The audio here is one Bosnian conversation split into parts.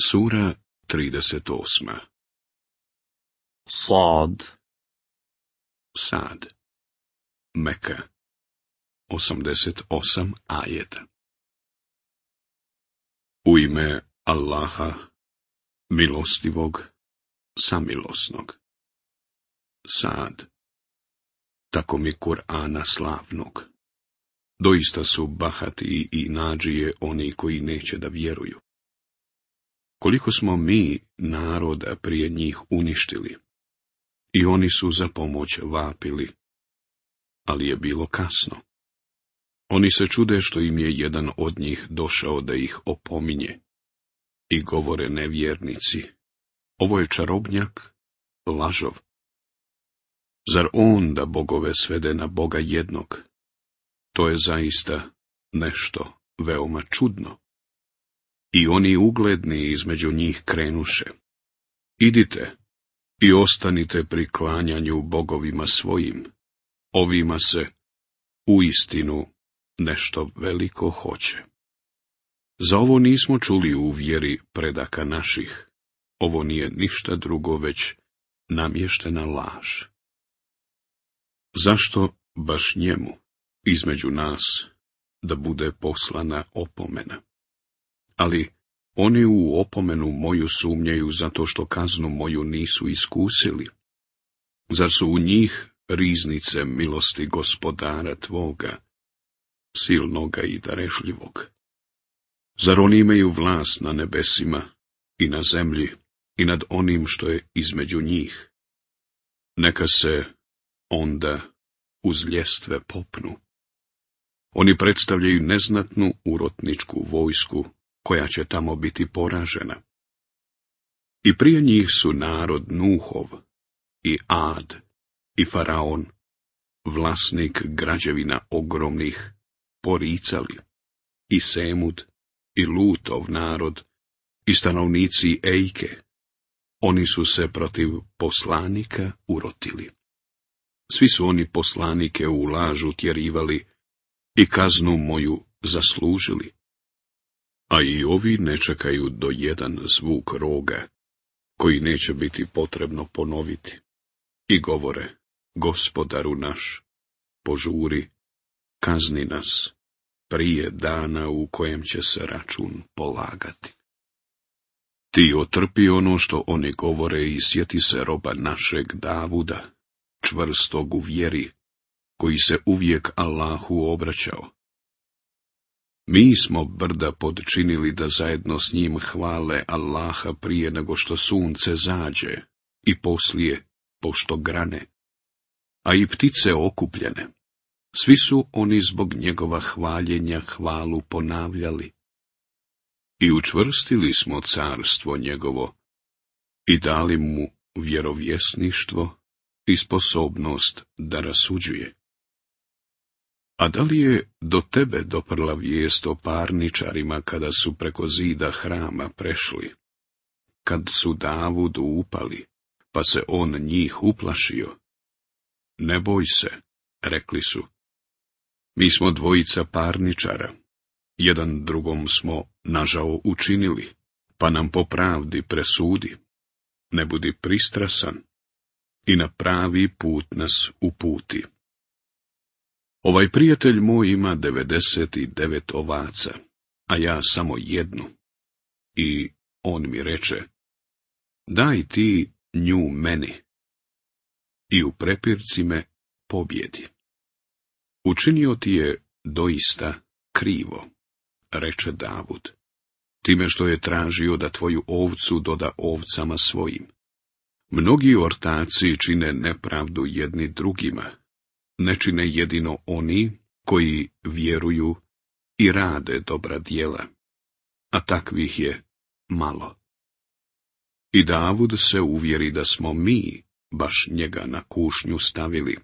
Sura 38. Sad. Sad. Meka. 88 ajeta. U ime Allaha, milostivog, samilosnog. Sad. Tako mi Kur'ana slavnog. Doista su bahati i nadžije oni koji neće da vjeruju. Koliko smo mi naroda prije njih uništili, i oni su za pomoć vapili, ali je bilo kasno. Oni se čude što im je jedan od njih došao da ih opominje, i govore nevjernici, ovo je čarobnjak, lažov. Zar on da bogove svede na Boga jednog? To je zaista nešto veoma čudno. I oni ugledni između njih krenuše. Idite i ostanite pri klanjanju bogovima svojim. Ovima se uistinu nešto veliko hoće. Za ovo nismo čuli u vjeri predaka naših. Ovo nije ništa drugo već namještena laž. Zašto baš njemu, između nas, da bude poslana opomena? Ali oni u opomenu moju sumnjaju zato što kaznu moju nisu iskusili. Zar su u njih riznice milosti Gospodara tvoga, silnoga i darežljivog? Zar oni imaju vlast na nebesima i na zemlji i nad onim što je između njih? Neka se onda uz ljestve popnu. Oni predstavljaju neznatnu urotničku vojsku koja će tamo biti poražena. I prije njih su narod Nuhov, i Ad, i Faraon, vlasnik građevina ogromnih, poricali, i Semud, i Lutov narod, i stanovnici Ejke. Oni su se protiv poslanika urotili. Svi su oni poslanike u lažu tjerivali i kaznu moju zaslužili. A i ovi ne čekaju do jedan zvuk roga, koji neće biti potrebno ponoviti. I govore, Gospodaru naš, požuri, kazni nas, prije dana u kojem će se račun polagati. Ti otrpi ono što oni govore i sjeti se roba našeg Davuda, čvrstog u vjeri, koji se uvijek Allahu obraćao. Mi smo brda podčinili da zajedno s njim hvale Allaha prije nego što sunce zađe i poslije pošto grane, a i ptice okupljene. Svi su oni zbog njegova hvaljenja hvalu ponavljali. I učvrstili smo carstvo njegovo i dali mu vjerovjesništvo i sposobnost da rasuđuje. A da li je do tebe doprla vijest o parničarima kada su preko zida hrama prešli, kad su Davudu upali, pa se on njih uplašio? Ne boj se, rekli su. Mi smo dvojica parničara, jedan drugom smo nažao učinili, pa nam po pravdi presudi. Ne budi pristrasan i na pravi put nas uputi. Ovaj prijatelj moj ima 99 ovaca, a ja samo jednu. I on mi reče, daj ti nju meni. I u prepirci me pobjedi. Učinio ti je doista krivo, reče Davud, time što je tražio da tvoju ovcu doda ovcama svojim. Mnogi ortaci čine nepravdu jedni drugima, ne čine jedino oni koji vjeruju i rade dobra djela, a takvih je malo. I Davud se uvjeri da smo mi baš njega na kušnju stavili,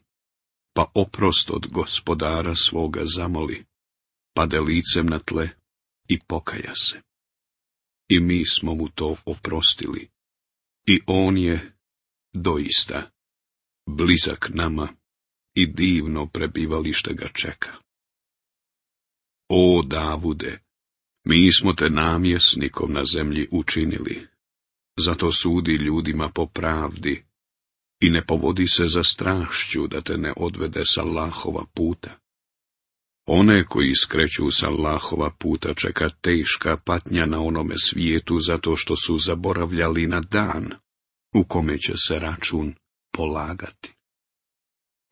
pa oprost od Gospodara svoga zamoli, pade licem na tle i pokaja se. I mi smo mu to oprostili, i on je doista blizak nama i divno prebivalište ga čeka. O Davude, Mi smo te namjesnikom na zemlji učinili, zato sudi ljudima po pravdi i ne povodi se za strašću da te ne odvede sa Allahova puta. One koji skreću sa Allahova puta čeka teška patnja na onome svijetu zato što su zaboravljali na dan u kome će se račun polagati.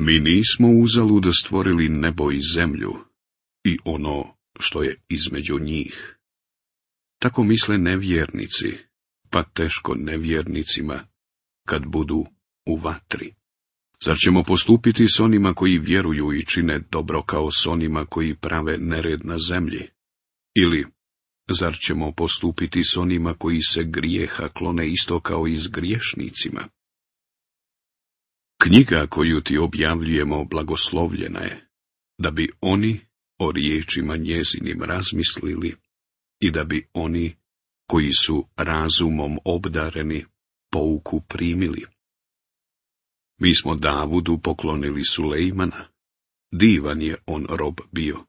Mi nismo uzalud stvorili nebo i zemlju i ono što je između njih. Tako misle nevjernici, pa teško nevjernicima kad budu u vatri. Zar ćemo postupiti s onima koji vjeruju i čine dobro kao s onima koji prave nered na zemlji? Ili, zar ćemo postupiti s onima koji se grijeha klone isto kao i s griješnicima? Knjiga koju ti objavljujemo blagoslovljena je, da bi oni o riječima njezinim razmislili i da bi oni koji su razumom obdareni pouku primili. Mi smo Davudu poklonili Sulejmana, divan je on rob bio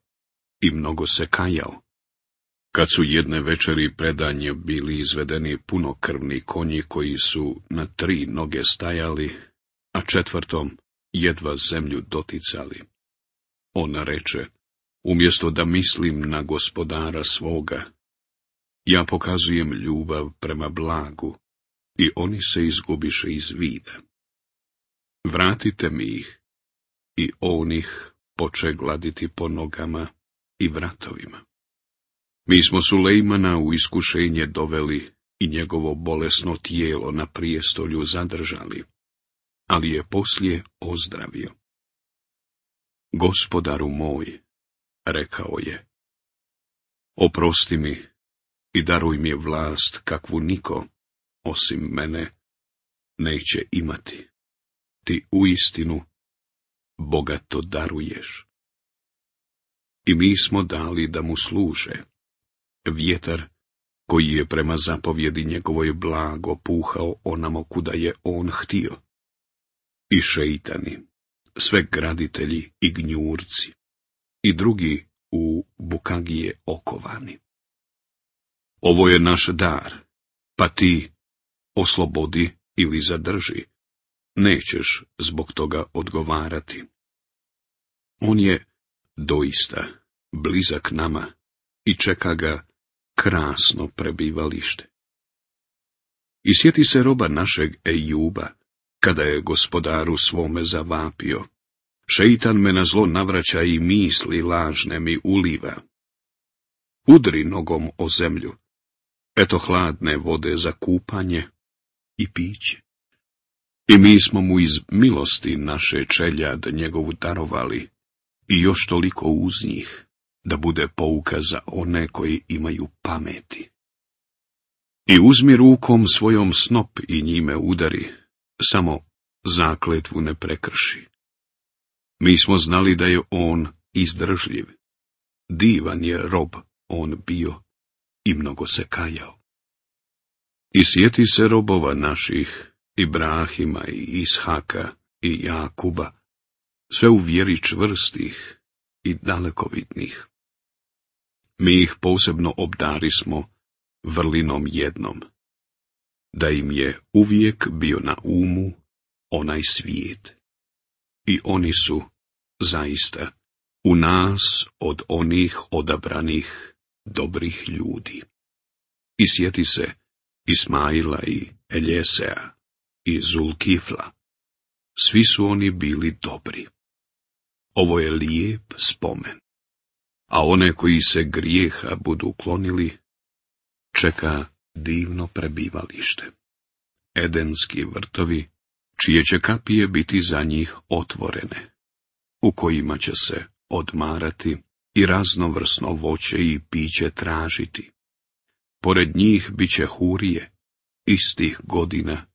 i mnogo se kajao. Kad su jedne večeri predanje bili izvedeni punokrvni konji koji su na 3 noge stajali, a 4. jedva zemlju doticali. On reče, umjesto da mislim na gospodara svoga, ja pokazujem ljubav prema blagu i oni se izgubiše iz vida. Vratite mi ih, i on ih poče gladiti po nogama i vratovima. Mi smo Sulejmana u iskušenje doveli i njegovo bolesno tijelo na prijestolju zadržali, ali je poslije ozdravio. Gospodaru moj, rekao je, oprosti mi i daruj mi vlast kakvu niko, osim mene, neće imati. Ti uistinu bogato daruješ. I mi smo dali da mu služe. Vjetar, koji je prema zapovjedi njegovoj blago puhao onamo kuda je on htio. I šeitani, sve graditelji i gnjurci, i drugi u bukagije okovani. Ovo je naš dar, pa ti oslobodi ili zadrži. Nećeš zbog toga odgovarati. On je doista blizak nama i čeka ga krasno prebivalište. I sjeti se roba našeg Ejuba, kada je gospodaru svome zavapio. Šeitan me na zlo navraća i misli lažne mi uliva. Udri nogom o zemlju, eto hladne vode za kupanje i piće. I mi smo mu iz milosti naše čeljad njegovu darovali i još toliko uz njih, da bude pouka za one koji imaju pameti. I uzmi rukom svojom snop i njime udari, samo zakletvu ne prekrši. Mi smo znali da je on izdržljiv, divan je rob on bio i mnogo se kajao. I sjeti se robova naših, Ibrahima i Ishaka i Jakuba, sve u vjeri čvrstih i dalekovidnih. Mi ih posebno obdarismo vrlinom jednom, da im je uvijek bio na umu onaj svijet. I oni su, zaista, u nas od onih odabranih dobrih ljudi. I sjeti se Ismaila i Eljesea i Zulkifla. Svi su oni bili dobri. Ovo je lijep spomen. A one koji se grijeha budu uklonili, čeka divno prebivalište. Edenski vrtovi, čije će kapije biti za njih otvorene, u kojima će se odmarati i raznovrsno voće i piće tražiti. Pored njih bit će hurije, istih godina,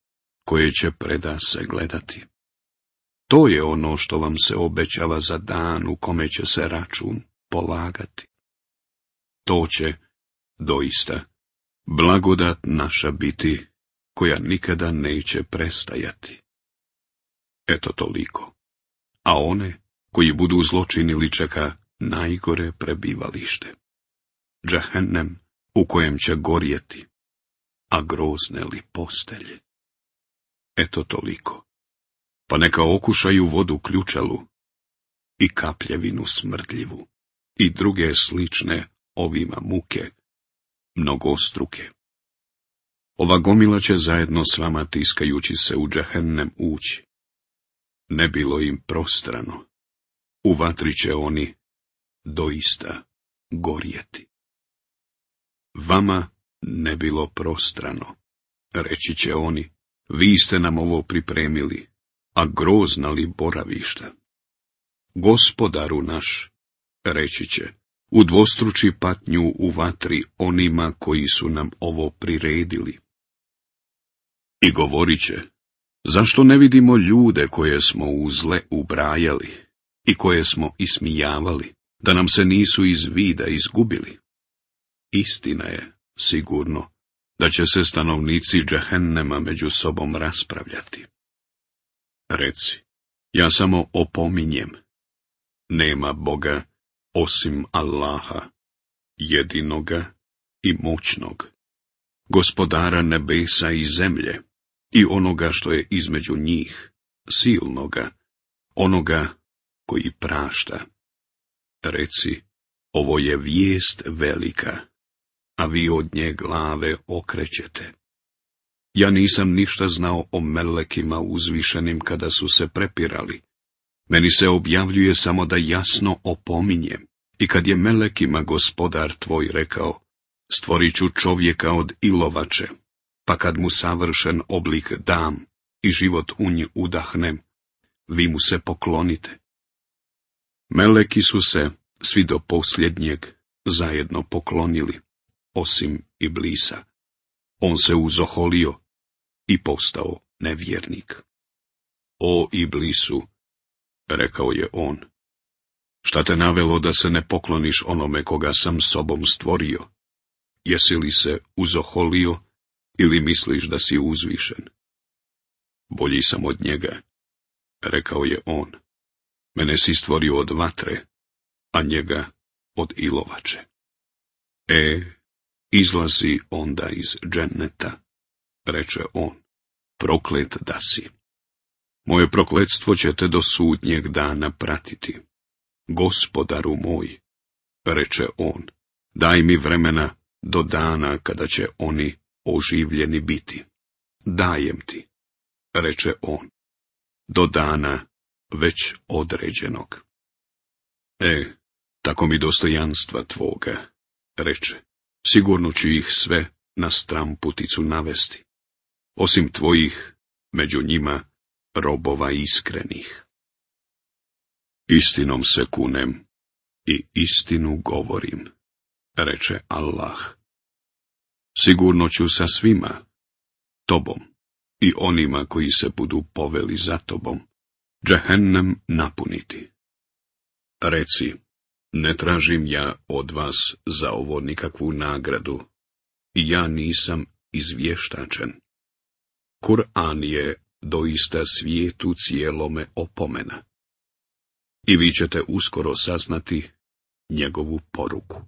koje će preda se gledati. To je ono što vam se obećava za dan u kome će se račun polagati. To će, doista, blagodat naša biti, koja nikada neće prestajati. Eto toliko. A one, koji budu zločinili, čeka najgore prebivalište. džehennem u kojem će gorjeti, a grozne li postelje. Eto toliko, pa neka okušaju vodu ključalu i kapljevinu smrdljivu i druge slične ovima muke, mnogostruke. Ova gomila će zajedno s vama tiskajući se u džehennem ući. Ne bilo im prostrano, u vatri će oni doista gorjeti. Vama ne bilo prostrano, reći će oni, vi ste nam ovo pripremili, a grozna li boravišta. Gospodaru naš, reći će, udvostruči patnju u vatri onima koji su nam ovo priredili. I govorit će, zašto ne vidimo ljude koje smo u zle ubrajali i koje smo ismijavali, da nam se nisu iz vida izgubili? Istina je, sigurno, da će se stanovnici džehennema među sobom raspravljati. Reci, ja samo opominjem, nema Boga osim Allaha, jedinoga i moćnog, gospodara nebesa i zemlje i onoga što je između njih, silnoga, onoga koji prašta. Reci, ovo je vijest velika, a vi od nje glave okrećete. Ja nisam ništa znao o melekima uzvišenim kada su se prepirali. Meni se objavljuje samo da jasno opominjem. I kad je melekima gospodar tvoj rekao, stvorit ću čovjeka od ilovače, pa kad mu savršen oblik dam i život u nj udahnem, vi mu se poklonite. Meleki su se, svi do posljednjeg, zajedno poklonili, osim Iblisa. On se uzoholio i postao nevjernik. O Iblisu, rekao je on, šta te navelo da se ne pokloniš onome koga sam sobom stvorio? Jesi li se uzoholio ili misliš da si uzvišen? Bolji sam od njega, rekao je on. Mene si stvorio od vatre, a njega od ilovače. Izlazi onda iz dženneta, reče on, proklet da si. Moje prokletstvo će te do sudnjeg dana pratiti. Gospodaru moj, reče on, daj mi vremena do dana kada će oni oživljeni biti. Dajem ti, reče on, do dana već određenog. Tako mi dostojanstva tvoga, reče, sigurno ću ih sve na stramputicu navesti, osim tvojih, među njima, robova iskrenih. Istinom se kunem i istinu govorim, reče Allah. Sigurno ću sa svima, tobom i onima koji se budu poveli za tobom, džehennem napuniti. Reci, ne tražim ja od vas za ovo nikakvu nagradu, i ja nisam izvještačen. Kur'an je doista svijetu cijelome opomena, i vi ćete uskoro saznati njegovu poruku.